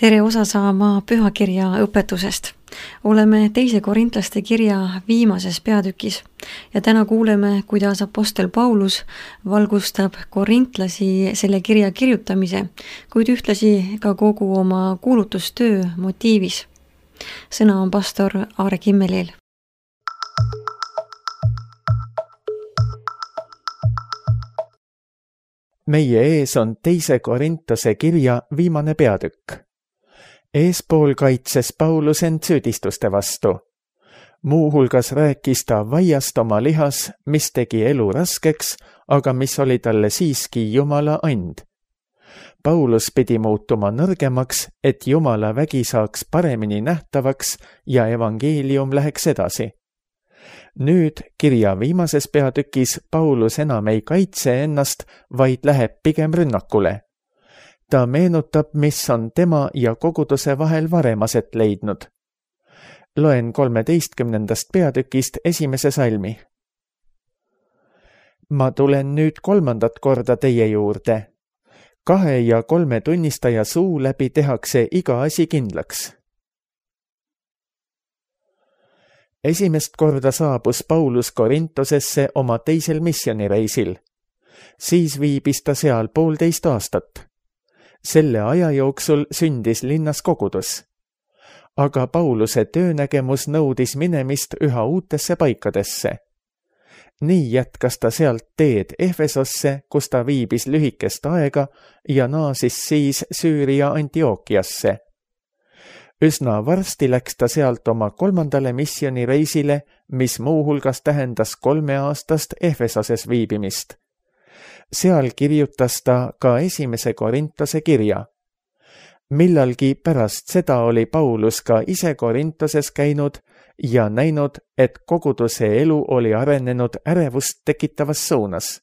Tere osa saama pühakirja õpetusest. Oleme 2. Korintlaste kirja viimases peatükis ja täna kuuleme, kuidas apostel Paulus valgustab korintlasi selle kirja kirjutamise, kuid ühtlasi ka kogu oma kuulutustöö motiivis. Sõna on pastor Aare Kimmelil. Meie ees on 2. Korintuse kirja viimane peatükk. Eespool kaitses Paulus end süüdistuste vastu. Muuhulgas rääkis ta vaiast oma lihas, mis tegi elu raskeks, aga mis oli talle siiski Jumala and. Paulus pidi muutuma nõrgemaks, et Jumala vägi saaks paremini nähtavaks ja evangeelium läheks edasi. Nüüd kirja viimases peatükis Paulus enam ei kaitse ennast, vaid läheb pigem rünnakule. Ta meenutab, mis on tema ja koguduse vahel varem aset leidnud. Loen 13. peatükist 1. salmi. Ma tulen nüüd 3. korda teie juurde. 2 ja 3 tunnistaja suu läbi tehakse iga asi kindlaks. Esimest korda saabus Paulus Korintosesse oma 2. missioonireisil. Siis viibis ta seal 1,5 aastat. Selle aja jooksul sündis linnas kogudus. Aga Pauluse töönägemus nõudis minemist üha uutesse paikadesse. Nii jätkas ta sealt teed Efesosse, kus ta viibis lühikest aega ja naasis siis Süüria Antiookiasse. Üsna varsti läks ta sealt oma 3. missioonireisile, mis muuhulgas tähendas 3 aastast Efesoses viibimist. Seal kirjutas ta ka 1. Korintuse kirja. Millalgi pärast seda oli Paulus ka ise Korintoses käinud ja näinud, et koguduse elu oli arenenud ärevust tekitavas suunas.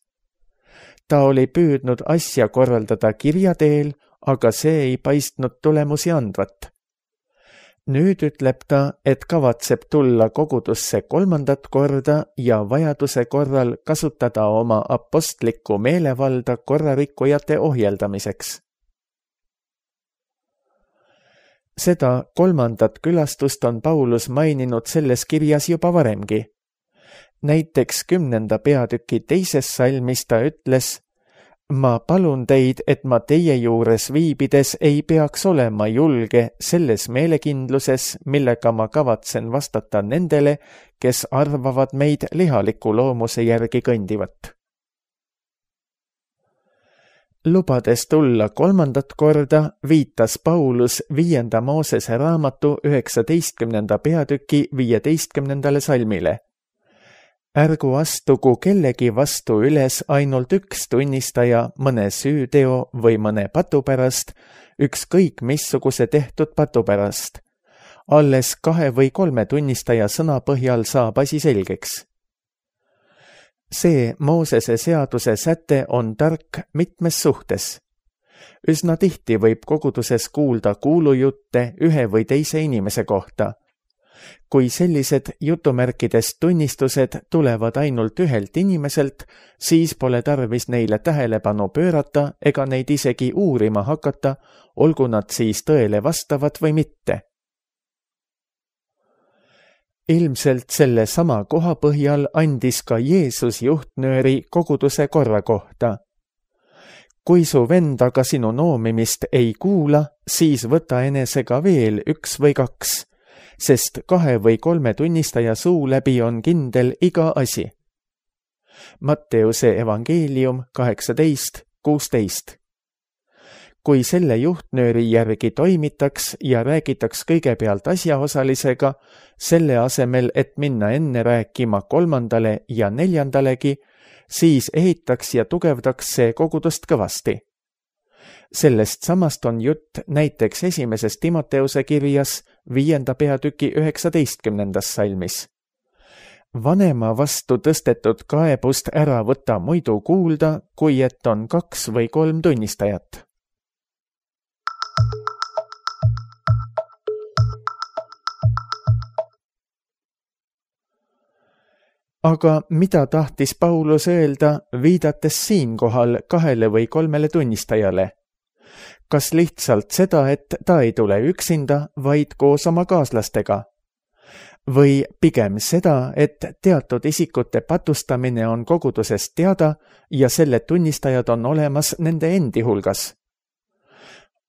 Ta oli püüdnud asja korraldada kirja teel, aga see ei paistnud tulemusi andvat. Nüüd ütleb ta, et kavatseb tulla kogudusse 3. korda ja vajaduse korral kasutada oma apostlikku meelevalda korrarikkujate ohjeldamiseks. Seda 3. külastust on Paulus maininud selles kirjas juba varemgi. Näiteks 10. peatüki 2. salmis ta ütles: Ma palun teid, et ma teie juures viibides ei peaks olema julge selles meelekindluses, millega ma kavatsen vastata nendele, kes arvavad meid lihaliku loomuse järgi kõndivat. Lubades tulla 3. korda, viitas Paulus 5. Moosese raamatu 19. peatüki 15. salmile. Ärgu astugu kellegi vastu üles ainult üks tunnistaja mõne süüteo või mõne patu pärast, ükskõik missuguse tehtud patu pärast. Alles 2 või 3 tunnistaja sõna põhjal saab asi selgeks. See Moosese seaduse säte on tark mitmes suhtes. Üsna tihti võib koguduses kuulda kuulujutte ühe või teise inimese kohta. Kui sellised jutumärkides tunnistused tulevad ainult ühelt inimeselt, siis pole tarvis neile tähelepanu pöörata ega neid isegi uurima hakata, olgu nad siis tõele vastavad või mitte. Ilmselt selle sama koha põhjal andis ka Jeesus juhtnööri koguduse korra kohta. Kui su vend aga sinu noomimist ei kuula, siis võta enesega veel 1 või 2, sest 2 või 3 tunnistaja suu läbi on kindel iga asi. Matteuse evangeelium 18:16. Kui selle juhtnööri järgi toimitaks ja räägitaks kõigepealt asjaosalisega, selle asemel, et minna enne rääkima 3. ja 4. siis ehitaks ja tugevdaks see kogudust kõvasti. Sellest samast on jutt näiteks 1. Timoteuse kirjas 5. peatüki 19. salmis. Vanema vastu tõstetud kaebust ära võta muidu kuulda, kui et on 2 või 3 tunnistajat. Aga mida tahtis Paulus öelda, viidates siinkohal 2 või 3 tunnistajale? kas lihtsalt seda, et ta ei tule üksinda, vaid koos oma kaaslastega? Või pigem seda, et teatud isikute patustamine on kogudusest teada ja selle tunnistajad on olemas nende endi hulgas?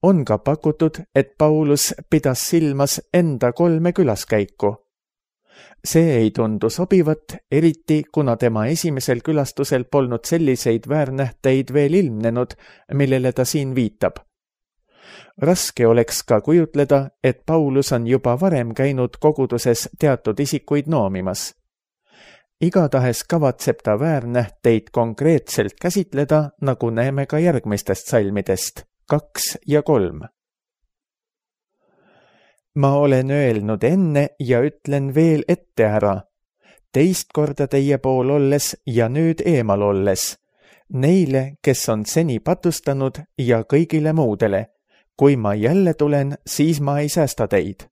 On ka pakutud, et Paulus pidas silmas enda 3 külaskäiku. See ei tundu sobivat, eriti kuna tema esimesel külastusel polnud selliseid väärnähteid veel ilmnenud, millele ta siin viitab. Raske oleks ka kujutleda, et Paulus on juba varem käinud koguduses teatud isikuid noomimas. Igatahes kavatseb ta väärnähteid konkreetselt käsitleda, nagu näeme ka järgmistest salmidest 2 ja 3. Ma olen öelnud enne ja ütlen veel ette ära, teist korda teie pool olles ja nüüd eemal olles, neile, kes on seni patustanud ja kõigile muudele. Kui ma jälle tulen, siis ma ei säästa teid.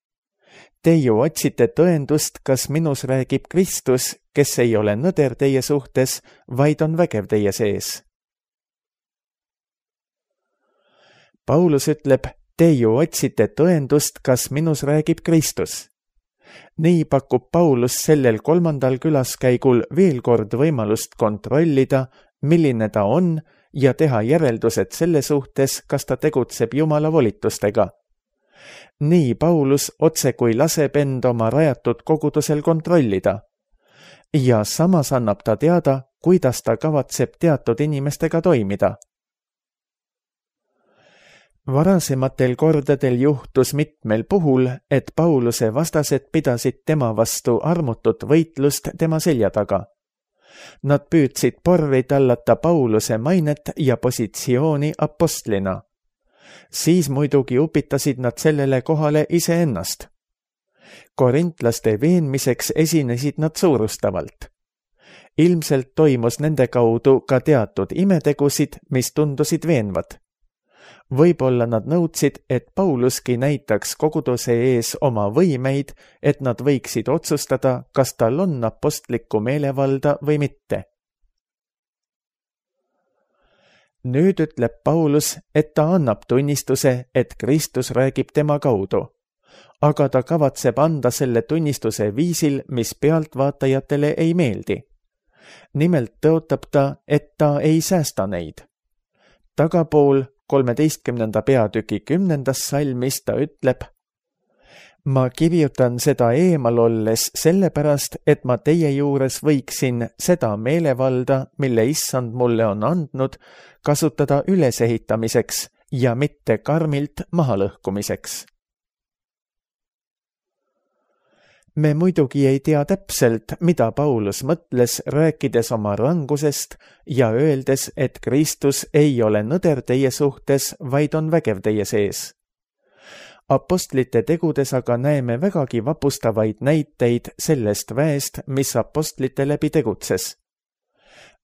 Te ju otsite tõendust, kas minus räägib Kristus, kes ei ole nõder teie suhtes, vaid on vägev teie sees. Paulus ütleb, te ju otsite tõendust, kas minus räägib Kristus. Nii pakub Paulus sellel 3. külaskäigul veel kord võimalust kontrollida, milline ta on, ja teha järeldused selle suhtes, kas ta tegutseb Jumala volitustega. Nii Paulus otse kui laseb end oma rajatud kogudusel kontrollida. Ja samas annab ta teada, kuidas ta kavatseb teatud inimestega toimida. Varasematel kordadel juhtus mitmel puhul, et Pauluse vastased pidasid tema vastu armutut võitlust tema selja taga. Nad püüdsid porri tallata Pauluse mainet ja positsiooni apostlina. Siis muidugi upitasid nad sellele kohale iseennast. Korintlaste veenmiseks esinesid nad suurustavalt. Ilmselt toimus nende kaudu ka teatud imetegusid, mis tundusid veenvad. Võib-olla nad nõudsid, et Pauluski näitaks koguduse ees oma võimeid, et nad võiksid otsustada, kas tal on apostlikku meelevalda või mitte. Nüüd ütleb Paulus, et ta annab tunnistuse, et Kristus räägib tema kaudu, aga ta kavatseb anda selle tunnistuse viisil, mis pealtvaatajatele ei meeldi. Nimelt tõotab ta, et ta ei säästa neid. Tagapool 13. peatüki 10. salmis ta ütleb, ma kirjutan seda eemal olles sellepärast, et ma teie juures võiksin seda meelevalda, mille issand mulle on andnud, kasutada ülesehitamiseks ja mitte karmilt mahalõhkumiseks. Me muidugi ei tea täpselt, mida Paulus mõtles, rääkides oma rangusest ja öeldes, et Kristus ei ole nõder teie suhtes, vaid on vägev teie sees. Apostlite tegudes aga näeme vägagi vapustavaid näiteid sellest väest, mis apostlite läbi tegutses.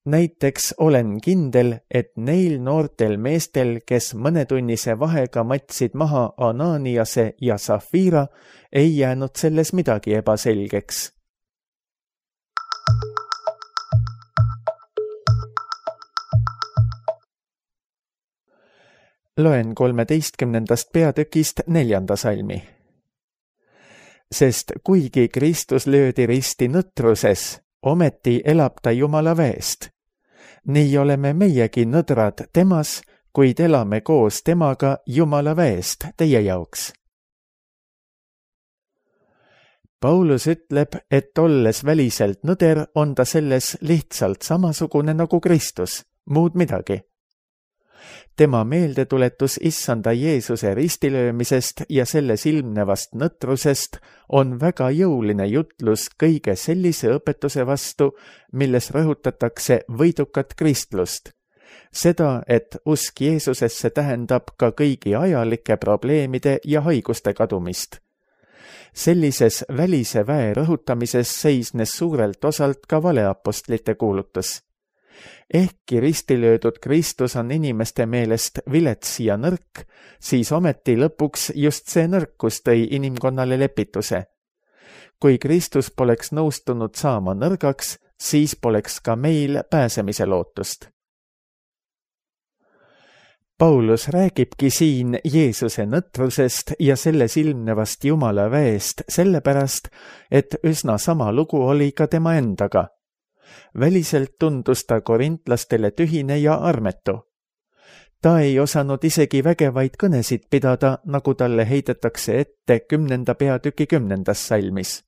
Näiteks olen kindel, et neil noortel meestel, kes mõnetunnise vahega matsid maha Ananiase ja Safira, ei jäänud selles midagi ebaselgeks. Loen 13. peatükist 4. salmi. Sest kuigi Kristus löödi risti nõtruses, ometi elab ta Jumala väest. Nii oleme meiegi nõdrad temas, kuid elame koos temaga Jumala väest teie jaoks. Paulus ütleb, et olles väliselt nõder, on ta selles lihtsalt samasugune nagu Kristus, muud midagi. Tema meeldetuletus issanda Jeesuse ristilöömisest ja selles ilmnevast nõtrusest on väga jõuline jutlus kõige sellise õpetuse vastu, milles rõhutatakse võidukat kristlust. Seda, et usk Jeesusesse tähendab ka kõigi ajalike probleemide ja haiguste kadumist. Sellises välise väe rõhutamises seisnes suurelt osalt ka valeapostlite kuulutus. Ehkki ristilöödud Kristus on inimeste meelest vilets ja nõrk, siis ometi lõpuks just see nõrkus tõi inimkonnale lepituse. Kui Kristus poleks nõustunud saama nõrgaks, siis poleks ka meil pääsemise lootust. Paulus räägibki siin Jeesuse nõtrusest ja selles ilmnevast Jumala väest sellepärast, et üsna sama lugu oli ka tema endaga. Väliselt tundus ta korintlastele tühine ja armetu. Ta ei osanud isegi vägevaid kõnesid pidada, nagu talle heidetakse ette 10. peatüki 10. salmis.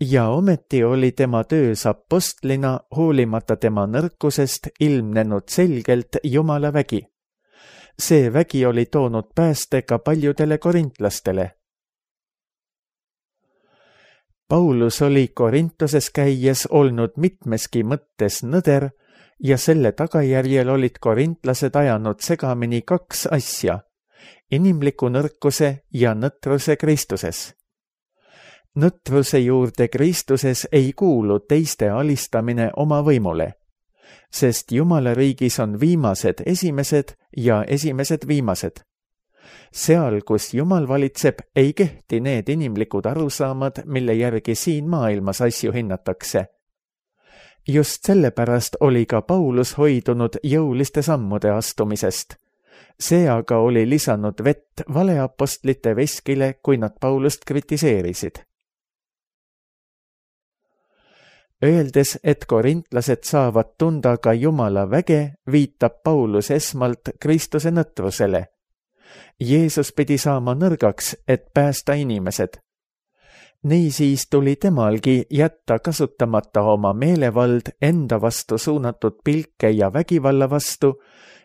Ja ometi oli tema töös apostlina hoolimata tema nõrkusest ilmnenud selgelt Jumala vägi. See vägi oli toonud pääste ka paljudele korintlastele. Paulus oli Korintoses käies olnud mitmeski mõttes nõder ja selle tagajärjel olid korintlased ajanud segamini 2 asja, inimliku nõrkuse ja nõtruse Kristuses. Nõtruse juurde Kristuses ei kuulu teiste alistamine oma võimule, sest Jumala riigis on viimased esimesed ja esimesed viimased. Seal, kus Jumal valitseb, ei kehti need inimlikud arusaamad, mille järgi siin maailmas asju hinnatakse. Just sellepärast oli ka Paulus hoidunud jõuliste sammude astumisest. See aga oli lisanud vett valeapostlite veskile, kui nad Paulust kritiseerisid. Öeldes, et korintlased saavad tunda ka Jumala väge, viitab Paulus esmalt Kristuse nõtrusele. Jeesus pidi saama nõrgaks, et päästa inimesed. Niisiis tuli temalgi jätta kasutamata oma meelevald enda vastu suunatud pilke ja vägivalla vastu,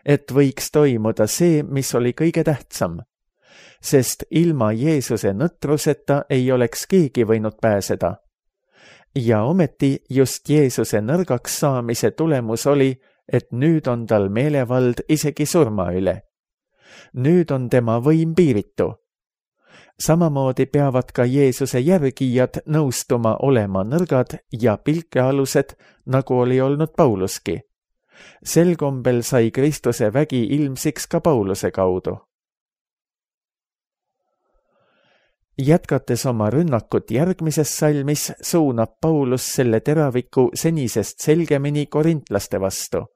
et võiks toimuda see, mis oli kõige tähtsam. Sest ilma Jeesuse nõtruseta ei oleks keegi võinud pääseda. Ja ometi just Jeesuse nõrgaks saamise tulemus oli, et nüüd on tal meelevald isegi surma üle. Nüüd on tema võim piiritu. Samamoodi peavad ka Jeesuse järgijad nõustuma olema nõrgad ja pilkealused, nagu oli olnud Pauluski. Sel kombel sai Kristuse vägi ilmsiks ka Pauluse kaudu. Jätkates oma rünnakut järgmises salmis, suunab Paulus selle teraviku senisest selgemini korintlaste vastu.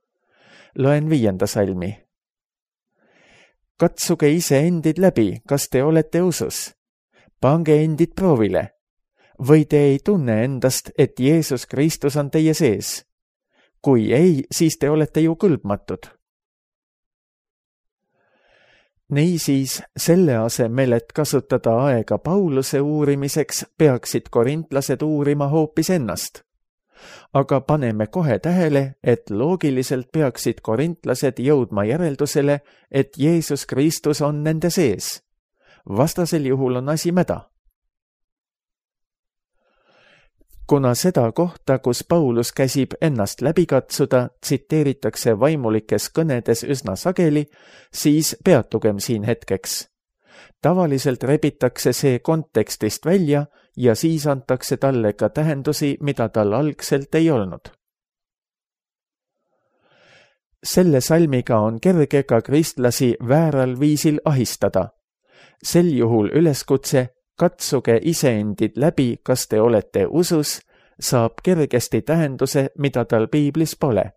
Loen 5. salmi. Katsuge ise endid läbi, kas te olete usus? Pange endid proovile. Või te ei tunne endast, et Jeesus Kristus on teie sees? Kui ei, siis te olete ju kõlbmatud. Niisiis, selle asemel, et kasutada aega Pauluse uurimiseks, peaksid korintlased uurima hoopis ennast. Aga paneme kohe tähele, et loogiliselt peaksid korintlased jõudma järeldusele, et Jeesus Kristus on nende sees. Vastasel juhul on asi mäda. Kuna seda kohta, kus Paulus käsib ennast läbi katsuda, tsiteeritakse vaimulikes kõnedes üsna sageli, siis peatugem siin hetkeks. Tavaliselt rebitakse see kontekstist välja ja siis antakse talle ka tähendusi, mida tal algselt ei olnud. Selle salmiga on kerge ka kristlasi vääral viisil ahistada. Sel juhul üleskutse katsuge iseendid läbi, kas te olete usus, saab kergesti tähenduse, mida tal piiblis pole.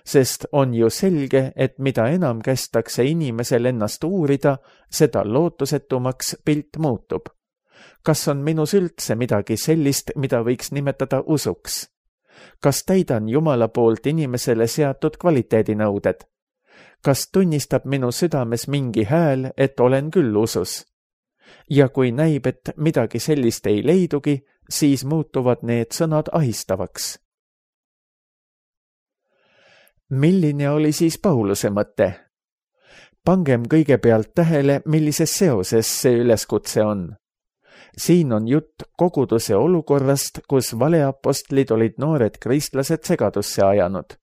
Sest on ju selge, et mida enam kästakse inimesel ennast uurida, seda lootusetumaks pilt muutub. Kas on minus üldse midagi sellist, mida võiks nimetada usuks? Kas täidan Jumala poolt inimesele seatud kvaliteedinõuded? Kas tunnistab minu südames mingi hääl, et olen küll usus? Ja kui näib, et midagi sellist ei leidugi, siis muutuvad need sõnad ahistavaks. Milline oli siis Pauluse mõte? Pangem kõigepealt tähele, millises seoses see üleskutse on. Siin on jutt koguduse olukorrast, kus valeapostlid olid noored kristlased segadusse ajanud.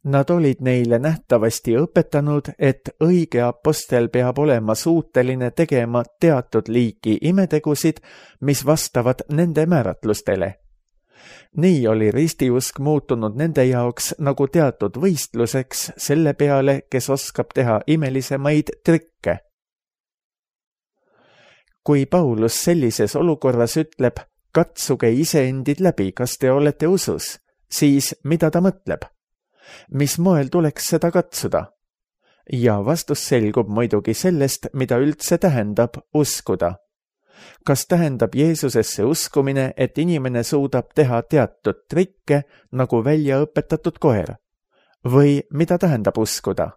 Nad olid neile nähtavasti õpetanud, et õige apostel peab olema suuteline tegema teatud liiki imetegusid, mis vastavad nende määratlustele. Nii oli ristiusk muutunud nende jaoks nagu teatud võistluseks selle peale, kes oskab teha imelisemaid trikke. Kui Paulus sellises olukorras ütleb, katsuge iseendid läbi, kas te olete usus, siis mida ta mõtleb? Mis moel tuleks seda katsuda? ja vastus selgub muidugi sellest, mida üldse tähendab uskuda. Kas tähendab Jeesusesse uskumine, et inimene suudab teha teatud trikke nagu välja õpetatud koer? Või mida tähendab uskuda?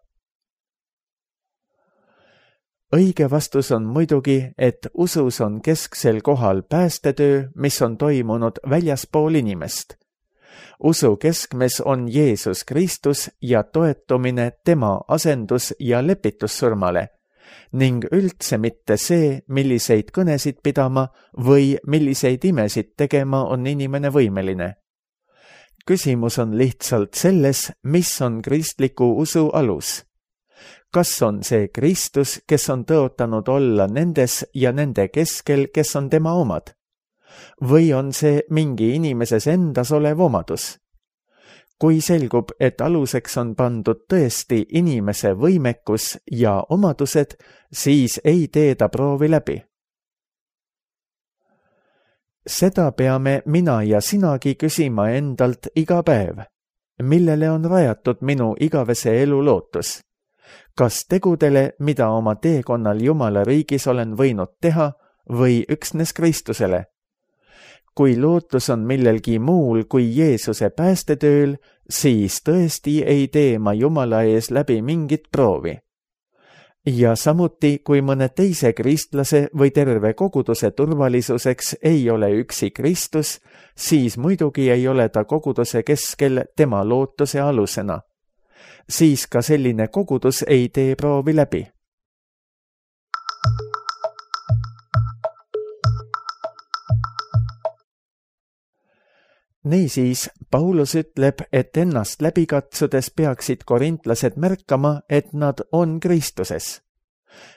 Õige vastus on muidugi, et usus on kesksel kohal päästetöö, mis on toimunud väljaspool inimest. Usu keskmes on Jeesus Kristus ja toetumine tema asendus- ja lepitussurmale ning üldse mitte see, milliseid kõnesid pidama või milliseid imesid tegema on inimene võimeline. Küsimus on lihtsalt selles, mis on kristliku usu alus. Kas on see Kristus, kes on tõotanud olla nendes ja nende keskel, kes on tema omad? Või on see mingi inimeses endas olev omadus? Kui selgub, et aluseks on pandud tõesti inimese võimekus ja omadused, siis ei tee ta proovi läbi. Seda peame mina ja sinagi küsima endalt iga päev. Millele on rajatud minu igavese elu lootus? Kas tegudele, mida oma teekonnal Jumala riigis olen võinud teha, või üksnes Kristusele? Kui lootus on millelgi muul kui Jeesuse päästetööl, siis tõesti ei tee ma Jumala ees läbi mingit proovi. Ja samuti, kui mõne teise kristlase või terve koguduse turvalisuseks ei ole üksi Kristus, siis muidugi ei ole ta koguduse keskel tema lootuse alusena. Siis ka selline kogudus ei tee proovi läbi. Niisiis, Paulus ütleb, et ennast läbi katsudes peaksid korintlased märkama, et nad on Kristuses.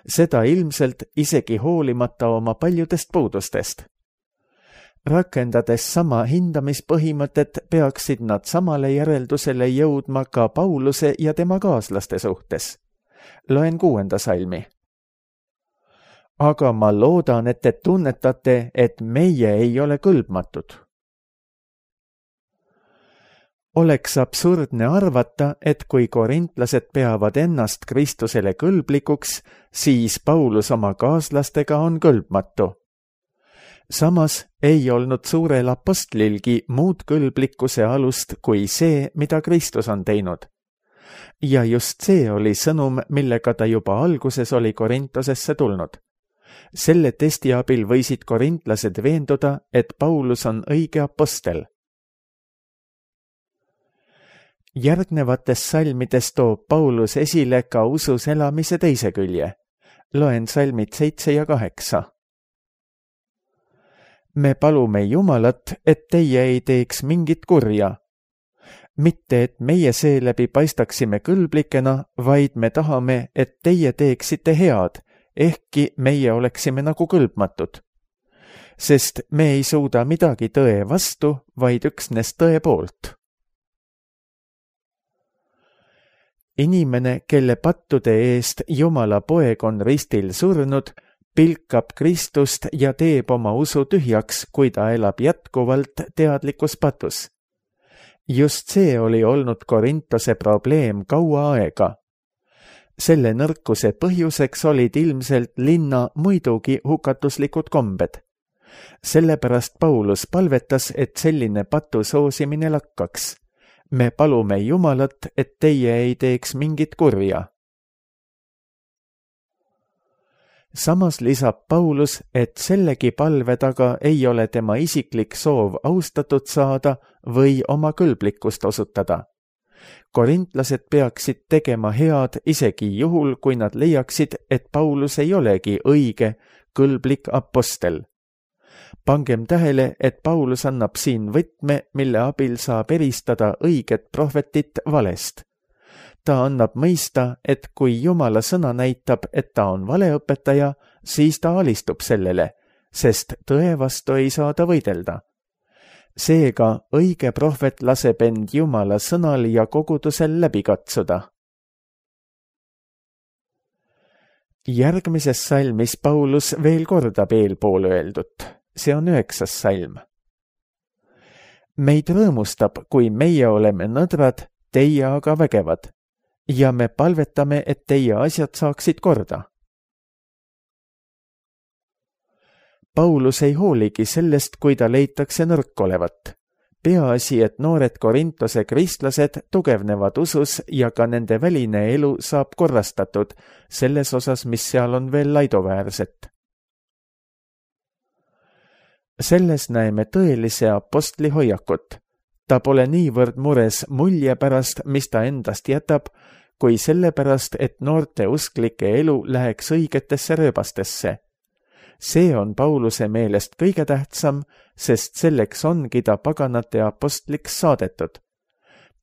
Seda ilmselt isegi hoolimata oma paljudest puudustest. Rakendades sama hindamispõhimõtet, peaksid nad samale järeldusele jõudma ka Pauluse ja tema kaaslaste suhtes. Loen 6. salmi. Aga ma loodan, et te tunnetate, et meie ei ole kõlbmatud. Oleks absurdne arvata, et kui korintlased peavad ennast Kristusele kõlblikuks, siis Paulus oma kaaslastega on kõlbmatu. Samas ei olnud suurel apostlilgi muud kõlblikkuse alust kui see, mida Kristus on teinud. Ja just see oli sõnum, millega ta juba alguses oli Korintosesse tulnud. Selle testi abil võisid korintlased veenduda, et Paulus on õige apostel. Järgnevates salmides toob Paulus esile ka usus elamise teise külje. Loen salmid 7 ja 8. Me palume Jumalat, et teie ei teeks mingit kurja. Mitte, et meie seeläbi paistaksime kõlblikena, vaid me tahame, et teie teeksite head, ehkki meie oleksime nagu kõlbmatud. Sest me ei suuda midagi tõe vastu, vaid üksnes tõe poolt. Inimene, kelle pattude eest Jumala poeg on ristil surnud, pilkab Kristust ja teeb oma usu tühjaks, kui ta elab jätkuvalt teadlikus patus. Just see oli olnud Korintose probleem kaua aega. Selle nõrkuse põhjuseks olid ilmselt linna muidugi hukatuslikud kombed. Sellepärast Paulus palvetas, et selline patu soosimine lakkaks. Me palume Jumalat, et teie ei teeks mingit kurja. Samas lisab Paulus, et sellegi palve taga ei ole tema isiklik soov austatud saada või oma kõlblikkust osutada. Korintlased peaksid tegema head isegi juhul, kui nad leiaksid, et Paulus ei olegi õige, kõlblik apostel. Pangem tähele, et Paulus annab siin võtme, mille abil saab eristada õiget prohvetit valest. Ta annab mõista, et kui Jumala sõna näitab, et ta on valeõpetaja, siis ta alistub sellele, sest tõe vastu ei saa ta võidelda. Seega õige prohvet laseb end Jumala sõnal ja kogudusel läbi katsuda. Järgmises salmis Paulus veel kordab eelpool öeldut. See on 9. salm. Meid rõõmustab, kui meie oleme nõdrad, teie aga vägevad. ja me palvetame, et teie asjad saaksid korda. Paulus ei hooligi sellest, kui ta leitakse nõrk olevat. Peaasi, et noored Korintose kristlased tugevnevad usus ja ka nende väline elu saab korrastatud selles osas, mis seal on veel laidoväärset. Selles näeme tõelise apostli hoiakut. Ta pole niivõrd mures mulje pärast, mis ta endast jätab, kui selle pärast, et noorte usklike elu läheks õigetesse rööbastesse. See on Pauluse meelest kõige tähtsam, sest selleks ongi ta paganate apostliks saadetud.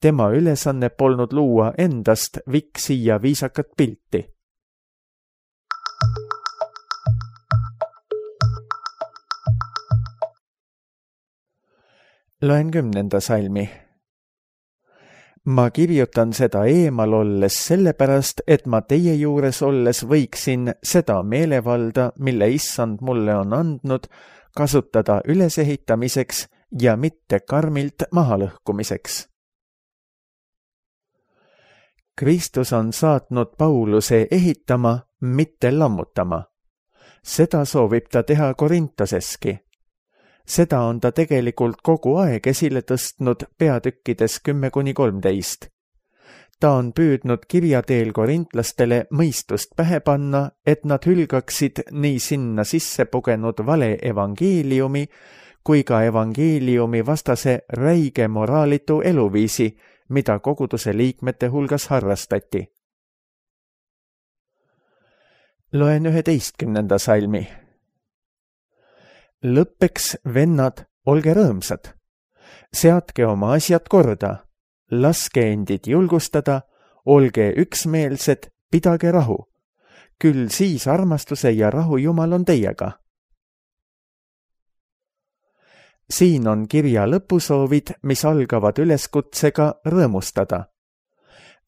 Tema ülesanne polnud luua endast viksi ja viisakat pilti. Loen 10. salmi. Ma kirjutan seda eemal olles sellepärast, et ma teie juures olles võiksin seda meelevalda, mille issand mulle on andnud, kasutada ülesehitamiseks ja mitte karmilt mahalõhkumiseks. Kristus on saatnud Pauluse ehitama, mitte lammutama. Seda soovib ta teha Korintoseski. Seda on ta tegelikult kogu aeg esile tõstnud peatükkides 10-13. Ta on püüdnud kirjateel korintlastele mõistust pähe panna, et nad hülgaksid nii sinna sisse pugenud vale evangeeliumi kui ka evangeeliumi vastase räige moraalitu eluviisi, mida koguduse liikmete hulgas harrastati. Loen 11. salmi. Lõppeks, vennad, olge rõõmsad. Seadke oma asjad korda, laske endid julgustada, olge üksmeelsed, pidage rahu. Küll siis armastuse ja rahu Jumal on teiega. Siin on kirja lõpusoovid, mis algavad üleskutsega rõõmustada.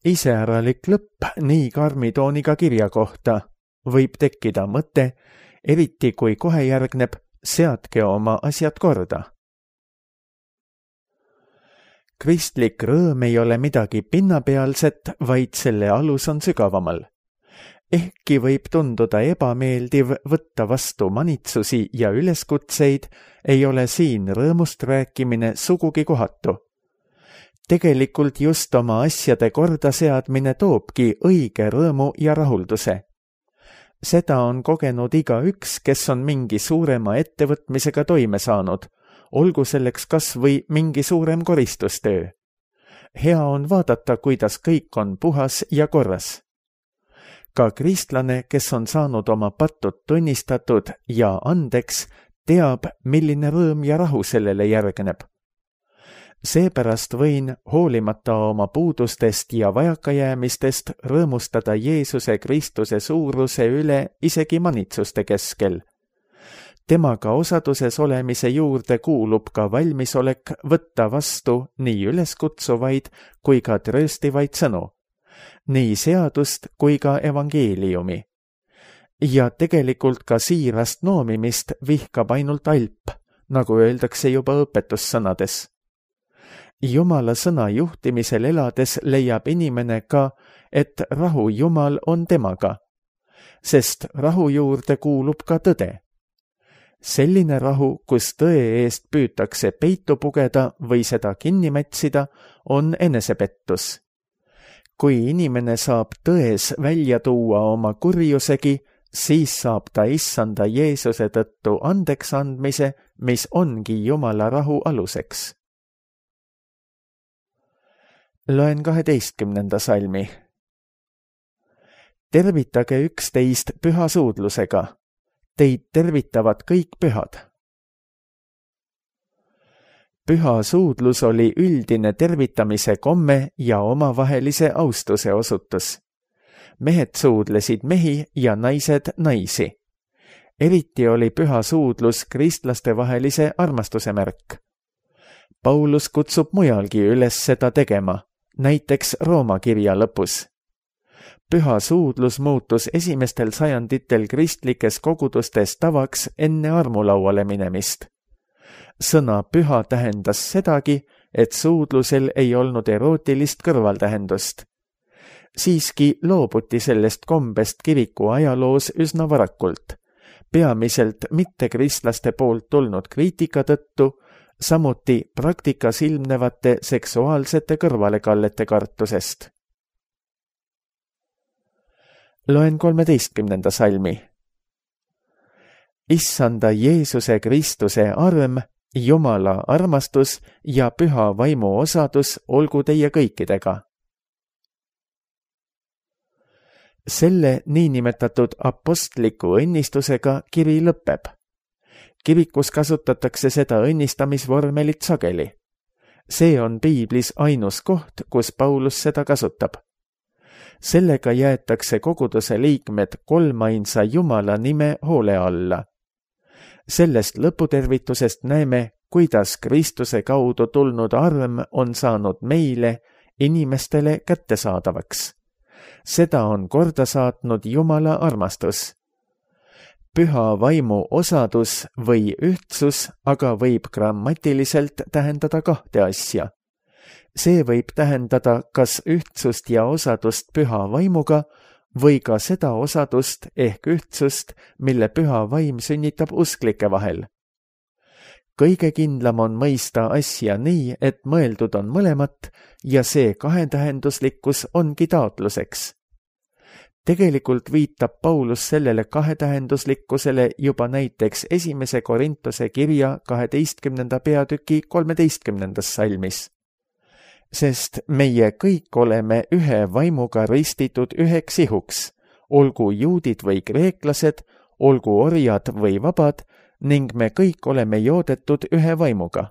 Iseäralik lõpp nii karmi tooniga kirja kohta võib tekkida mõte, eriti kui kohe järgneb seadke oma asjad korda. Kristlik rõõm ei ole midagi pinnapealset, vaid selle alus on sügavamal. Ehkki võib tunduda ebameeldiv võtta vastu manitsusi ja üleskutseid, ei ole siin rõõmust rääkimine sugugi kohatu. Tegelikult just oma asjade kordaseadmine toobki õige rõõmu ja rahulduse. Seda on kogenud igaüks, kes on mingi suurema ettevõtmisega toime saanud, olgu selleks kas või mingi suurem koristustöö. Hea on vaadata, kuidas kõik on puhas ja korras. Ka kristlane, kes on saanud oma pattud tunnistatud ja andeks, teab, milline rõõm ja rahu sellele järgneb. Seepärast võin, hoolimata oma puudustest ja vajakajäämistest, rõõmustada Jeesuse Kristuse suuruse üle isegi manitsuste keskel. Temaga osaduses olemise juurde kuulub ka valmisolek võtta vastu nii üleskutsuvaid kui ka trööstivaid sõnu, nii seadust kui ka evangeeliumi. Ja tegelikult ka siirast noomimist vihkab ainult alp, nagu öeldakse juba õpetussõnades. Jumala sõna juhtimisel elades leiab inimene ka, et rahu Jumal on temaga, sest rahu juurde kuulub ka tõde. Selline rahu, kus tõe eest püütakse peitu pugeda või seda kinni mätsida, on enesepettus. Kui inimene saab tões välja tuua oma kurjusegi, siis saab ta issanda Jeesuse tõttu andeks andmise, mis ongi Jumala rahu aluseks. Loen 12. salmi. Tervitage üksteist püha suudlusega. Teid tervitavad kõik pühad. Püha suudlus oli üldine tervitamise komme ja omavahelise austuse osutus. Mehed suudlesid mehi ja naised naisi. Eriti oli püha suudlus kristlaste vahelise armastuse märk. Paulus kutsub mujalgi üles seda tegema, näiteks Rooma kirja lõpus. Püha suudlus muutus esimestel sajanditel kristlikes kogudustes tavaks enne armulauale minemist. Sõna püha tähendas sedagi, et suudlusel ei olnud erootilist kõrvaltähendust. Siiski loobuti sellest kombest kiriku ajaloos üsna varakult, peamiselt mittekristlaste poolt tulnud kriitika tõttu, samuti praktikas ilmnevate seksuaalsete kõrvalekallete kartusest. Loen 13. salmi. Issanda Jeesuse Kristuse arm, Jumala armastus ja püha vaimu osadus olgu teie kõikidega. Selle niinimetatud apostliku õnnistusega kiri lõpeb. Kirikus kasutatakse seda õnnistamisvormelit sageli. See on piiblis ainus koht, kus Paulus seda kasutab. Sellega jäetakse koguduse liikmed kolmainsa Jumala nime hoole alla. Sellest lõputervitusest näeme, kuidas Kristuse kaudu tulnud arm on saanud meile, inimestele kättesaadavaks. Seda on korda saatnud Jumala armastus. Püha vaimu osadus või ühtsus aga võib grammatiliselt tähendada kahte asja. See võib tähendada kas ühtsust ja osadust püha vaimuga või ka seda osadust ehk ühtsust, mille püha vaim sünnitab usklike vahel. Kõige kindlam on mõista asja nii, et mõeldud on mõlemat ja see kahetähenduslikkus ongi taotluseks. Tegelikult viitab Paulus sellele kahetähenduslikkusele juba näiteks 1. Korintuse kirja 12. peatüki 13. salmis. Sest meie kõik oleme ühe vaimuga ristitud üheks ihuks, olgu juudid või kreeklased, olgu orjad või vabad, ning me kõik oleme joodetud ühe vaimuga.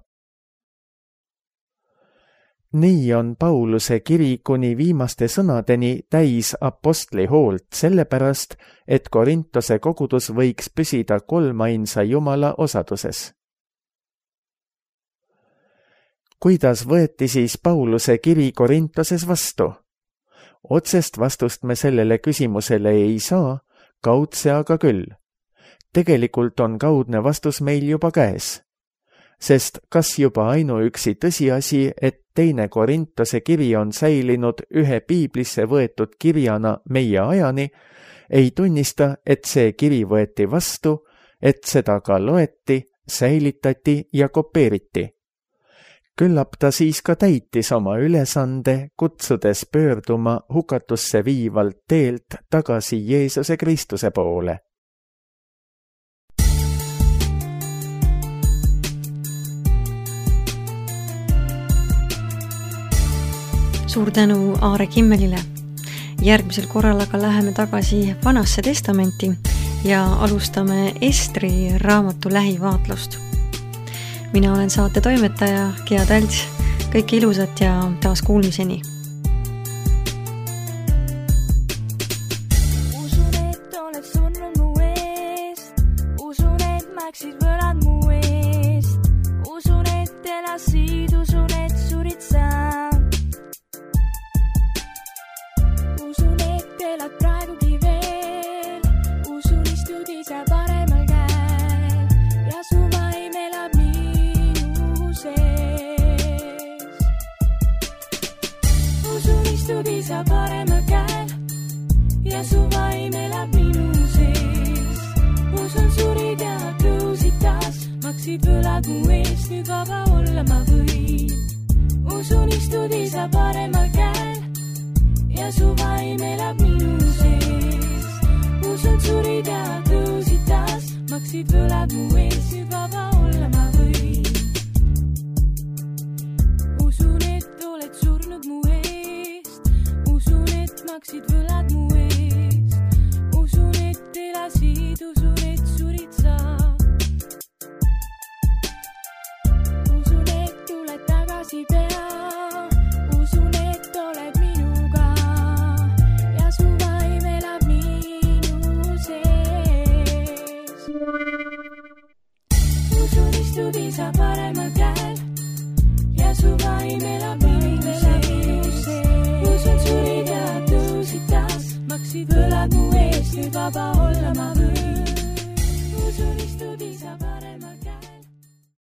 Nii on Pauluse kiri kuni viimaste sõnadeni täis apostli hoolt sellepärast, et Korintuse kogudus võiks püsida kolmainsa Jumala osaduses. Kuidas võeti siis Pauluse kiri Korintoses vastu? Otsest vastust me sellele küsimusele ei saa, kaudse aga küll. Tegelikult on kaudne vastus meil juba käes. Sest kas juba ainuüksi tõsiasi, et 2. Korintuse kiri on säilinud ühe piiblisse võetud kirjana meie ajani, ei tunnista, et see kiri võeti vastu, et seda ka loeti, säilitati ja kopeeriti. Küllap ta siis ka täitis oma ülesande, kutsudes pöörduma hukatusse viivalt teelt tagasi Jeesuse Kristuse poole. Suur tänu Aare Kimmelile. Järgmisel korral aga läheme tagasi Vanasse testamenti ja alustame Estri raamatu lähivaatlust. Mina olen saate toimetaja Gea Talts. Kõike ilusat ja taas kuulmiseni. Usun, et oled surnud mu eest. Usun, et maksid võlad mu eest. Usun, et elasid, usun, et surid sa. Usun, et elad praegugi veel. Usun, istud isa paremal käel ja su vaim elab minu sees. Usun, istud isa paremal käel ja su vaim elab minu sees. Usun, surid ja tõusid taas, maksid võlad mu eest, nüüd vaba olla ma võin. Usun, istud isa paremal käel ja su vaim elab minu sees. Usun, surid ja tõusid taas, maksid võlad mu eest, nüüd vaba olla ma võin. Usun, et oled surnud mu eest. Usun, et maksid võlad mu eest. Usun, et elasid, usun, et surid sa. Usun, et tuled tagasi pea. Usun, et oled minuga ja su vaim elab minu sees. Usun, istud isa paremal käel ja su vaim elab minu sees. Usun, surid ja tõusid taas, maksid võlad mu eest, nüüd vaba olla ma võin. Usun, istud isa paremal käel.